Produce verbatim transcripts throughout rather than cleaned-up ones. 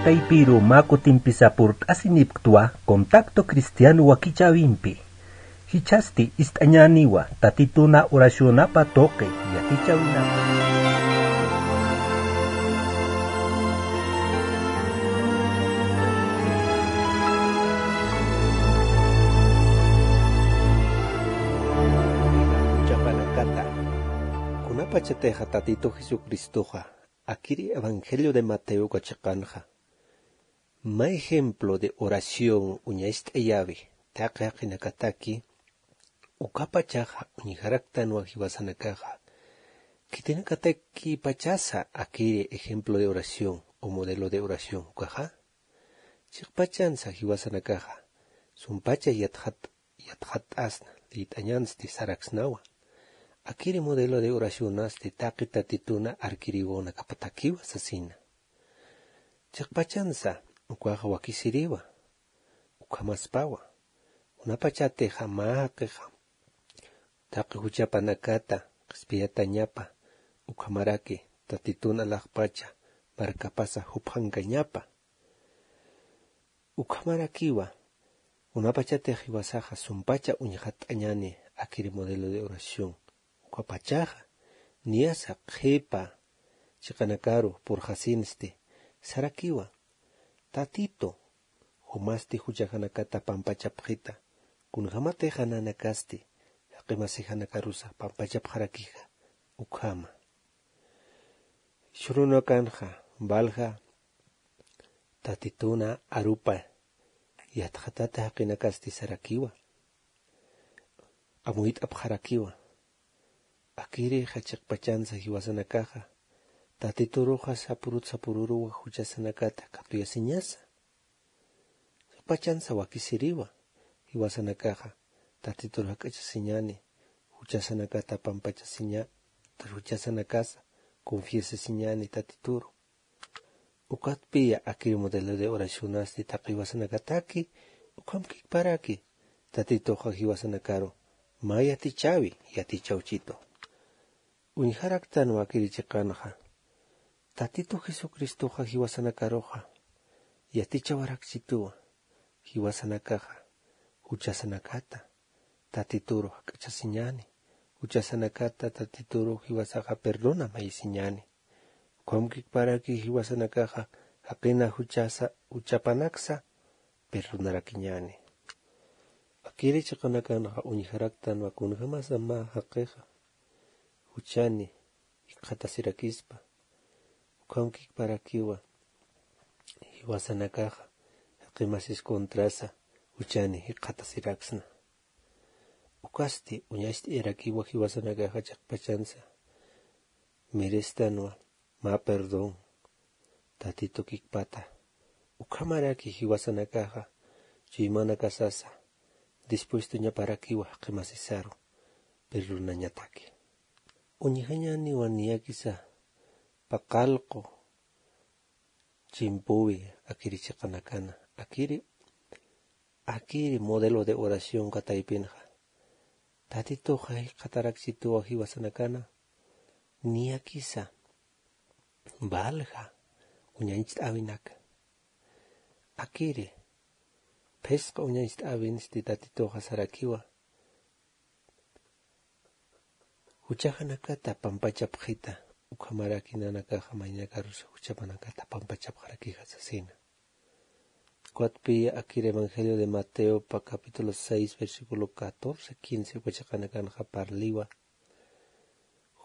Taypiru mä kutimpisa purt'asinipktwa Contacto Cristiano wakichäwimpi. Jichhasti ist'añäniwa Tatituna oracionapa tuqi yatichäwinapa. Juchapanakata, kunapachatixa Tatitu Jesucristoxa akiri Evangelio de Mateo uka chiqanxa mä ejemplo de oración uñacht'ayäwi taqi jaqinakataki, ukapachaxa uñjaraktanwa jiwasanakaxa khitinakatakipachasa akiri ejemplo de oración o modelo de oración ukaxa. Chiqpachansa jiwasanakaxa sumpacha yatxat yatxatt'asna, liyt'añansti saraksnawa. Akiri modelo de oracionasti taqi Tatituna arkiriwinakapatakiwa sasina. Chiqpachansa ukaxa wakisiriwa, ukhamaspawa. Kunapachatixa mä jaqixa taqi juchapanakata qhispiyatañapa, ukhamaraki Tatitun alaxpacha markapasa juphankañapa. Ukhamarakiwa, kunapachatix jiwasaxa sumpacha uñjatt'añäni akiri modelo de oración. Ukapachaxa niyasa qhipa chiqanakaru purxasinsti sarakiwa: Tatitu, jumasti juchajanakata pampachapxita, kunjämatixa nanakasti jaqi masijanakarusa pampachapxarakixa ukhama. Jichhürunakanxa valja Tatituna arupa yatxatata jaqinakasti sarakiwa, amuyt'apxarakiwa. Akirixa chiqpachansa jiwasanakaxa Tatituruxa sapurut sapururuwa juchasanakata katuyasiñasa. Chiqpachansa wakisiriwa jiwasanakaxa Tatituru jak'achasiñäni, juchasanakata pampachasiña, juchasanakasa confiesasiñäni Tatituru. Ukatpiya akiri modelo de oracionasti taqi jiwasanakataki, ukham kikparaki Tatituxa jiwasanakaru mä yatichäwi, yatichawchitu. Uñjaraktanwa akiri chiqanxa, Tatitu Jesucristoxa jiwasanakaruxa yatichawarakchituwa, jiwasanakaxa juchasanakata Tatituru jak'achasiñäni, juchasanakata Tatituru jiwasaxa perdona mayisiñäni. Ukham kikparaki jiwasanakaxa jaqina juchasa, juchapanaksa perdonarakiñäni. Akiri chiqanakanxa uñjaraktanwa kunjämasa mä jaqixa juchani jikxatasirakispa. Ukham kikparakiwa jiwasanakaxa jaqi masis contrasa juchani jikxatasiraksna. Ukasti uñacht'ayarakiwa jiwasanakaxa chiqpachansa merestanwa mä perdón Tatitu kikpata. Ukhamaraki jiwasanakaxa chuymanakasasa dispuestoñaparakiwa jaqi masisaru perdonañataki. Uñjañäniwa niyakisa paqallqu chimpüwi akiri chiqanakana, akiri, akiri modelo de oración kataypinxa Tatituxa jikxatarakchituwa jiwasanakana, niyakisa valja uñacht'äwinaka. Akiri phisqa uñacht'äwinsti Tatituxa sarakiwa juchajanakata pampachapxita, ukhamaraki nanakaxa maynakarusa juchapanakata pampachapxarakixa sasina. Ukatpiya akir Evangelio de Mateopa capítulo seis, versículo catorce, quince uka chiqanakanxa parliwa,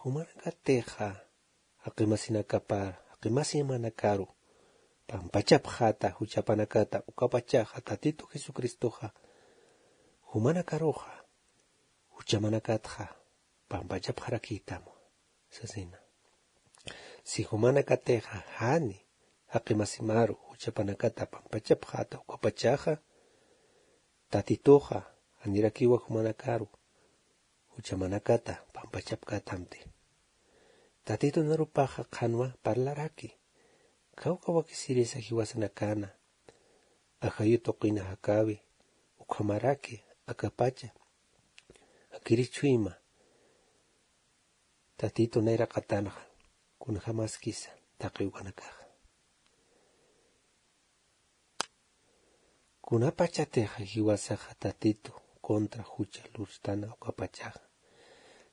jumanakatixa jaqimasinakapar, jaqimasinakaru pampachapxäta juchapanakata, ukapachaxa Tatitu Jesucristoxa jumanakaruxa juchamanakatxa pampachapxarakïtam sasina. Si jumanakatixa jani jaqimasimaru juchapanakata pampachapxäta, ukapachaxa Tatituxa janirakiwa jumanakaru juchamanakata pampachapkätamti. Tatitu narupaxa qhanwa parlaraki, kawka wakisirisa jiwasanakana ajayu tuqina jakäwi, ukhamaraki akapacha akiri chuyma Tatitu nayraqatanxa, kunjämaskisa taqi ukanakaxa. Kunapachatixa jiwasaxa tatitu contra jucha lurstana ukapachaxa,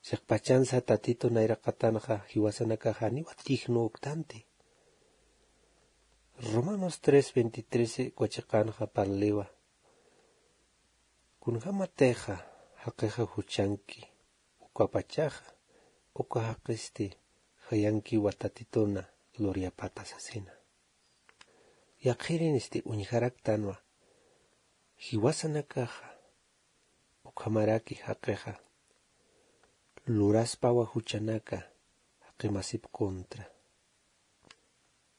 chiqpachansa tatitu nayraqatanxa jiwasanakaxa janiwa tignuktanti. Romanos tres veintitrece ukachiqanxa parliwa, kunjamatixa jaqixa juchanki ukapachaxa uka jaqisti jayankiwa tatituna luryapata sasina. Yaqhirinisti uñjaraktanwa jiwasanakaxa ukhamaraki jaqixa luraspawa juchanaka jaqimasip contra.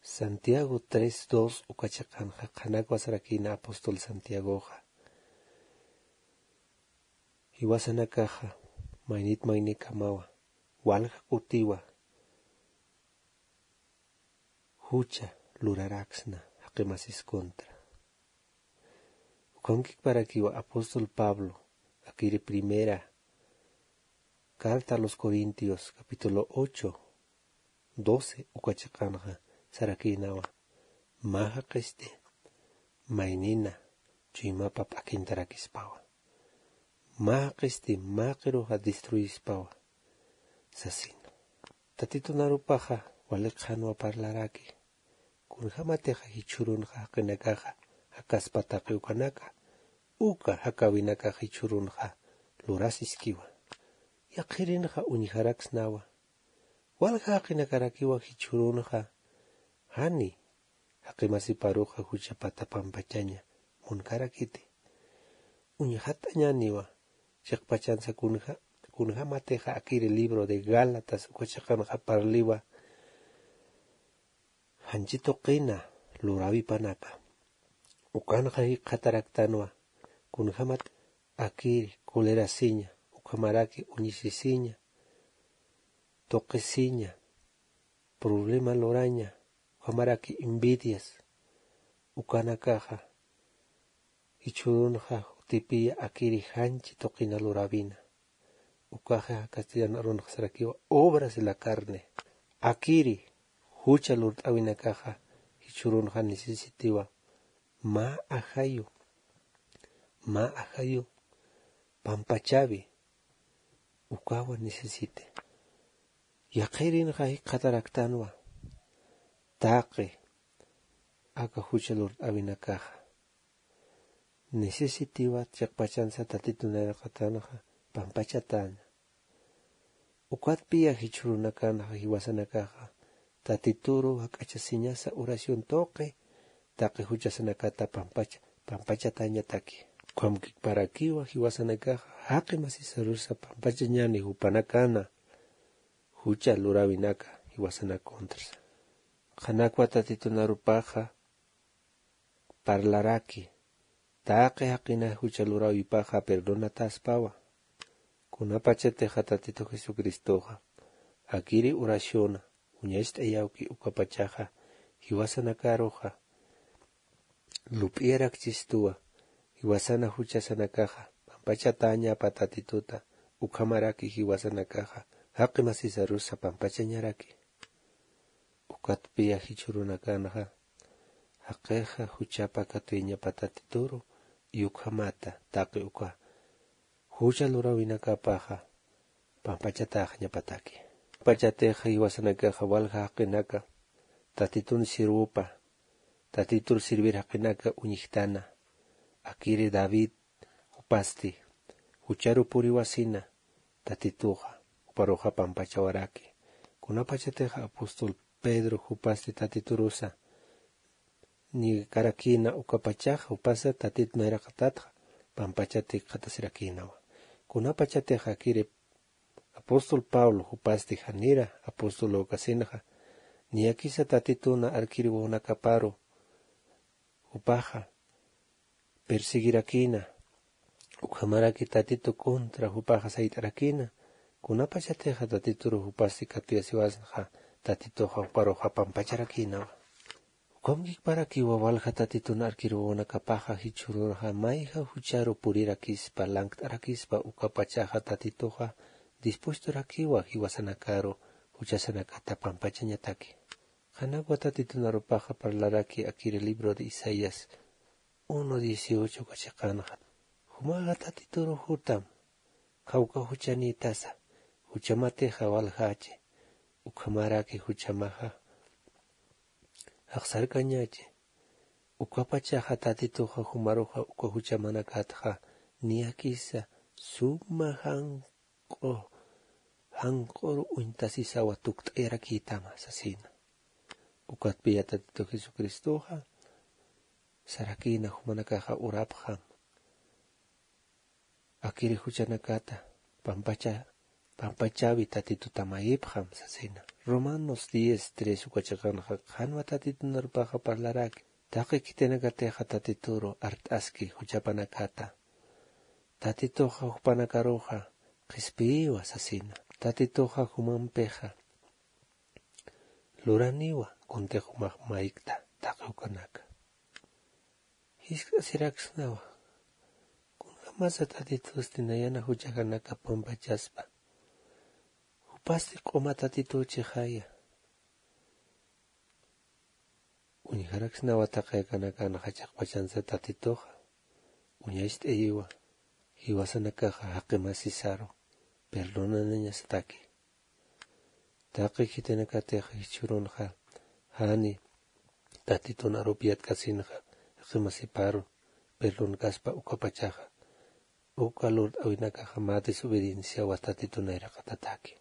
Santiago tres dos ukachiqanxa qhanakwasarakina apóstol santiagoxa, jiwasanakaxa maynit maynikamawa walja kutiwa jucha luraraksna jaqimasis contra. Ukankikparakiwa apóstol pablo akiri primera carta a los corintios capítulo ocho doce ukachiqanxa sarakinawa, mä jaqisti maynina chuymapa p'akintarakispawa, mä jaqisti mä qiruxa destruyispawa sasina. Tatitunarupaxa wali qhanwa parlaraki kunjamatixa jichhürunxa jaqinakaxa jakaspa taqi ukanaka uka jakäwinakax jichhürunxa lurasiskiwa. Yaqhirinxa uñjaraksnawa walja jaqinakarakiwa jichhürunxa jani jaqimasiparuxa juchapata pampachaña munkarakiti. Uñjatañäniwa chiqpachansa kunjamatixa akiri libro de gálatas ukachiqanxa parliwa janchi tuqina luräwipanaka. Ukanxa jikxataraktanwa kunjamat akiri colerasiña ukhamaraki uñisisiña tuqisiña problema luraña ukhamaraki envidias ukanakaxa jichhürunxa jutipiya akiri janchi tuqina luräwina. Ukaxa castellano arunxa sarakiwa obras de la carne. Akiri jucha lurt'äwinakaxa jichhürunxa necesitiwa mä ajayu mä ajayu pampachäwi ukawa necesite. Yaqhirinxa jikxataraktanwa taqi aka jucha lurt'äwinakaxa necesitiwa chiqpachansa tatitun nayraqatanxa pampachatäña. Ukatpiya jichhürunakanxa jiwasanakaxa tatituru jak'achasiñasa oración tuqi taqi juchasanakata pampacha pampachatañataki. Ukhamkikparakiwa jiwasanakaxa jaqi masisarusa pampachañäni jupanakana jucha luräwinaka jiwasanak contrasa. Qhanakwa tatitunarupaxa parlaraki taqi jaqina jucha luräwipaxa perdonataspawa. Kunapachatixa tatitu jesucristoxa akiri oraciona uñacht'ayawki ukapachaxa jiwasanakaruxa lup'iyarakchistuwa jiwasana juchasanakaxa pampachatäñapa tatituta ukhamaraki jiwasanakaxa jaqi masisarusa pampachañaraki. Ukatpiya jichhürunakanxa jaqixa juchapa katuyañapa tatituru y ukhamata taqi uka jucha luräwinakapaxa pampachatäxañapataki. Pachatixa jiwasanakaxa walja jaqinaka tatitun sirwupa tatitur sirvir jaqinaka uñjtana akiri david jupasti jucharu puriwasina tatituxa juparuxa pampachawaraki. Kunapachatixa apóstol pedro jupasti tatiturusa niekarakïna ukapachaxa jupasa tatitu nayraqatatxa pampachati jikxatasirakïnawa. Kunapachatixa akiri apóstol pablo jupasti janira apóstol lukasinxa niyakisa tatituna arkir wawanakaparu jupaxa persiguirakïna ukhamaraki tatitu contra jupaxa sayt'arakïna. Kunapachatixa tatituru jupasti katuyasiwasnxa tatituxa juparuxa pampacharakïnawa. Ukamkikparakiwa walja tatitun arkir wawanakapaxa jichhürunxa mayja jucharu purirakispa lankt'arakispa ukapachaxa tatituxa dispuestorakiwa jiwasanakaru juchasanakata pampachañataki. Qhanakwa tatitunarupaxa parlaraki akiri libro de isaías Uno dieciocho uka chiqanxa, jumaxa tatituru jutam, khawka juchanïtasa juchamatixa waljachi. Ukhamaraki juchamaxa jaqsarkañachi. Ukapachaxa tatituxa jumaruxa uka juchamanakatxa niyakisa suma janq'u janq'uru uñtasisawa tukt'ayarakïtama sasina. Ukatpiya tatitu jesucristoxa sarakïna jumanakaxa urapxam, akiri juchanakata pampacha pampachawi tatituta mayipxam sasina. Romanos diez tres uka chiqanxa qhanwa tatitunarupaxa parlaraki. Taqi khitinakatixa tatituru art'aski juchapanakata. Tatituxa jupanakaruxa qhispiyiwa sasina. Tatituxa jumampixa luraniwa kuntix jumax maykta taqi ukanaka. Jisk'asiraksnawa kunjamasa tatitusti nayana juchajanaka pampachaspa? Jupasti q'uma tatituchixaya. Uñjaraksnawa taqi akanakanxa chiqpachansa tatituxa uñacht'ayiwa jiwasanakaxa jaqimasisaru perdonanañasataki. Taqi khitinakatix jichhürunxa jani tatitun arupi yatkasinxa jaqimasiparu perdonkaspa ukapachaxa uka lurt'äwinakaxa mä desobedienciawa tatitun nayraqatataki.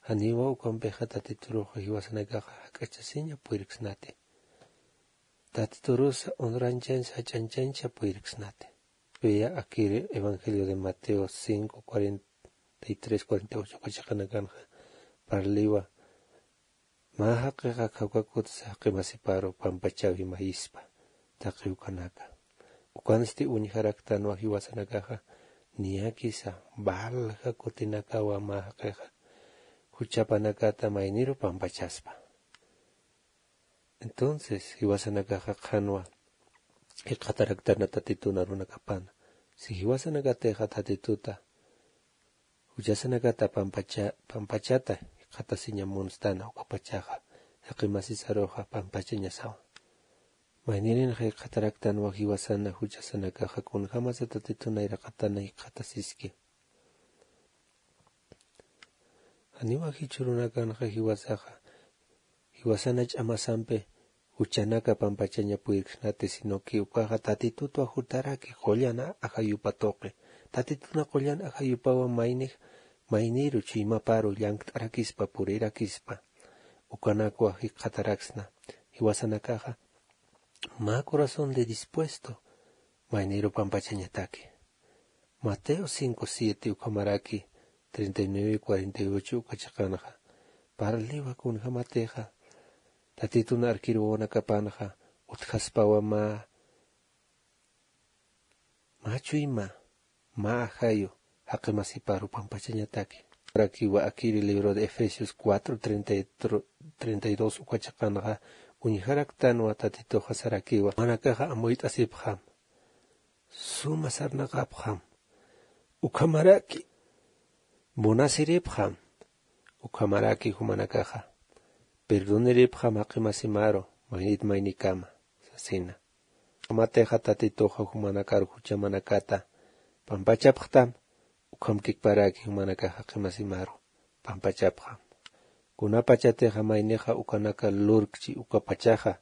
Janiwa ukampixa tatituruxa jiwasanakaxa jak'achasiña puyirksnati. Tatiturusa honranchancha jach'anchancha puyirksnati. Piya akiri evangelio de mateo cinco cuarenta y tres cuarenta y ocho uka chiqanakanxa parliwa mä jaqixa khawkakutsa jaqimasiparu pampachawi mayispa. Taqi ukanaka ukansti uñjaraktanwa jiwasanakaxa niyakisa valja kutinakawa mä jaqixa juchapanakata mayniru pampachaspa. Entonces jiwasanakaxa qhanwa jikxataraktana tatitun arunakapana. Si jiwasanakatixa tatituta juchasanakata pampachata jikxatasiña munstana ukapachaxa jaqimasisaruxa pampachañasawa. Maynirinxa jikxataraktanwa jiwasana juchasanakaxa kunjamasa tatitun nayraqatana jikxatasiski. Janiwa jichhürunakanxa jiwasaxa jiwasana ch'amasampi juchanaka pampachaña puyirksnati sino que ukaxa tatitutwa jutaraki qullan ajayupa tuqi. Tatituna qullan ajayupawa maynix mayniru chuymaparu llankt'arakispa purirakispa ukanakwa jikxataraksna jiwasanakaxa mä corazón de dispuesto mayniru pampachañataki. Mateo cinco siete ukhamaraki treinta y nueve cuarenta y ocho uka chiqanxa parliwa kunjamatixa tatitun arkiruwanakapanxa utjaspawa mä mä chuyma mä ajayu jaqimasiparu pampachañataki. Sarakiwa akiri libro de efesios cuatro treinta y dos uka chiqanxa uñjaraktanwa tatituxa sarakiwa jumanakaxa amuyt'asipxam suma sarnaqapxam ukhamaraki munasiripxam ukhamaraki jumanakaxa perdoniripxam jaqimasimaru maynit maynikama sasina. Ukhamatixa tatituxa jumanakaru juchamanakata pampachapxtam ukhamkikparaki jumanakaxa jaqimasimaru pampachapxam. Kunapachatixa maynixa ukanaka lurkchi ukapachaxa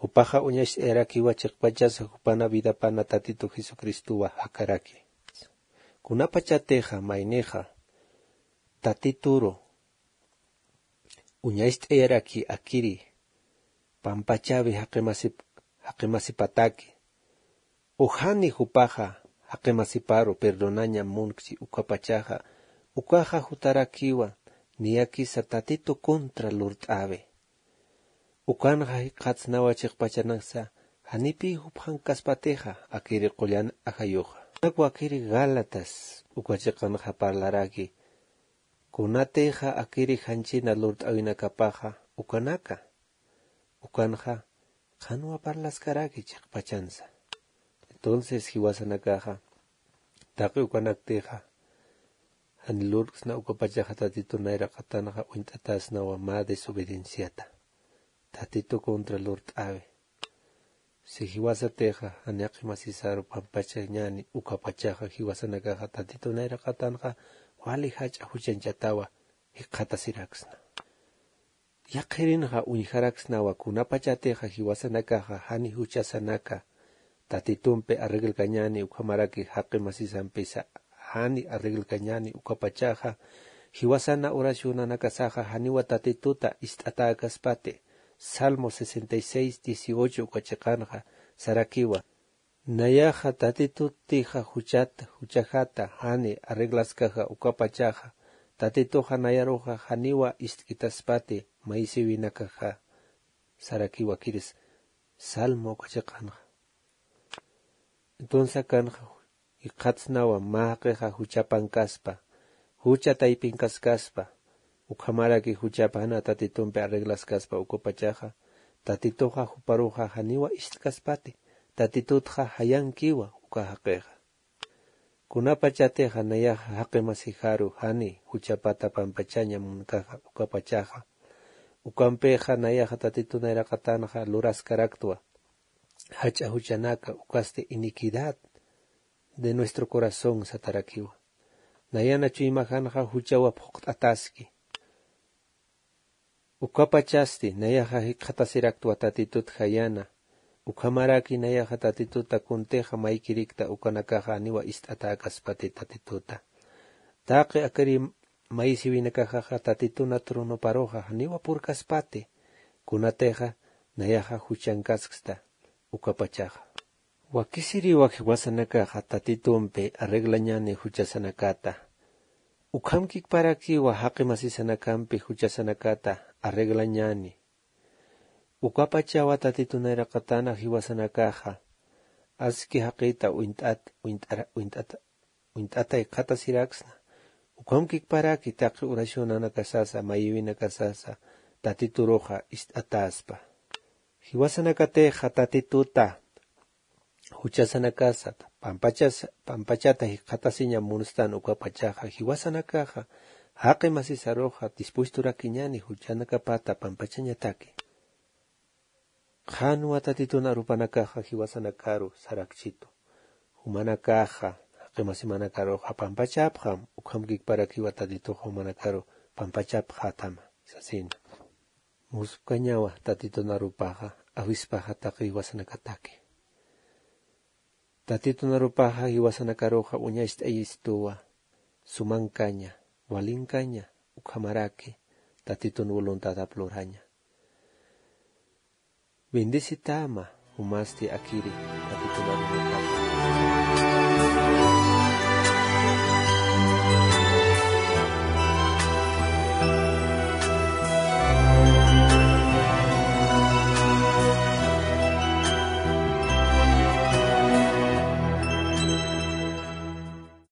jupaxa uñacht'ayarakiwa chiqpachasa jupana vidapana tatitu jesucristowa jakaraki. Kunapachatixa maynixa tatituru uñacht'ayaraki akiri pampachawi jaqimasipataki ujani jupaxa jaqimasiparu perdonaña munkchi ukapachaxa ukaxa jutarakiwa niyakisa tatitu contra lurt'awi. Ukanxa jikxatsnawa chiqpachanaksa janipï jupxankaspatixa akiri qullan ajayuxa. Ukanakwa akiri gálatas uka chiqanxa parlaraki kunatixa akiri janchina lurt'awinakapaxa ukanaka ukanxa qhanwa parlaskaraki chiqpachansa. Entonces jiwasanakaxa taqi ukanaktixa jan lurksna ukapachaxa tatitu nayraqatanxa uñt'atasnawa mä desobedienciata tatitu contra lurt'awi. Si jiwasatixa jani jaqi masisaru pampachañani ukapachaxa jiwasanakaxa Tatitu nayraqatanxa wali jach'a juchanchatawa jikxatasiraksna. Yaqhirinxa uñjaraksnawa kunapachatixa jiwasanakaxa jani juchasanaka Tatitumpi arreglkañani ukhamaraki jaqi masisampisa jani arreglkañani ukapachaxa jiwasana oracionanakasaxa janiwa Tatituta ist'atäkaspati. Salmo sesenta y seis dieciocho uka chiqanxa sarakiwa: Nayaxa Tatitutixa juchat juchajata jani arreglaskaxa ukapachaxa Tatituxa nayaruxa janiwa ist'kitaspati maysiwinakaxa sarakiwakiris. Salmo uka chiqanxa. Entonces akanxa jikxatsnawa mä jaqixa juchapankaspa, jucha taypinkaskaspa, ukhamaraki juchapa jana Tatitumpi arreglaskaspa ukapachaxa Tatituxa juparuxa janiwa ist'kaspati. Tatitutxa jayankiwa uka jaqixa. Kunapachatixa nayaxa jaqi masijaru jani juchapata pampachaña munkaxa ukapachaxa, ukampixa nayaxa Tatitu nayraqatanxa luraskaraktwa jach'a juchanaka ukasti iniquidad de nuestro corazón satarakiwa. Nayana chuymajanxa juchawa phuqt'ataski. Ukapachasti nayaxa jikxatasiraktwa Tatitut jayana, ukhamaraki nayaxa Tatituta kuntixa maykirikta ukanakaxa janiwa ist'atäkaspati Tatituta. Taqi akiri maysiwinakaxaxa Tatituna tronoparuxa janiwa purkaspati, kunatixa nayaxa juchankasksna ukapachaxa. Wakisiriwa jiwasanakaxa Tatitumpi arreglañani juchasanakata. Ukhamkikparakiwa jaqi masisanakampi juchasanakata arreglañani. Ukapachawa Tatitu nayraqatana jiwasanakaxa aski jaqita uñt'at uñt'ara uñt'ata uñt'ata jikxatasiraksna. Ukhamkikparaki taqi oracionanakasasa mayïwinakasasa Tatituruxa ist'atäspa. Jiwasanakatixa Tatituta juchasanakasat pampachas pampachata jikxatasiña munstan ukapachaxa jiwasanakaxa jaqi masisaruxa dispuestorakiñani juchanakapata pampachañataki. Qhanwa Tatitun arupanakaxa jiwasanakaru sarakchitu. Jumanakaxa jaqi masimanakaruxa pampachapxam, ukhamkikparakiwa Tatituxa jumanakaru pampachapxätama sasina. Muspkañawa Tatitun arupaxa awispaxa taqi jiwasanakataki. Tatitun arupaxa jiwasanakaruxa uñacht'ayistuwa sumankaña, walinkaña, ukhamaraki Tatitun voluntadap luraña. Bendecitama jumasti akiri Tatitun arunakata.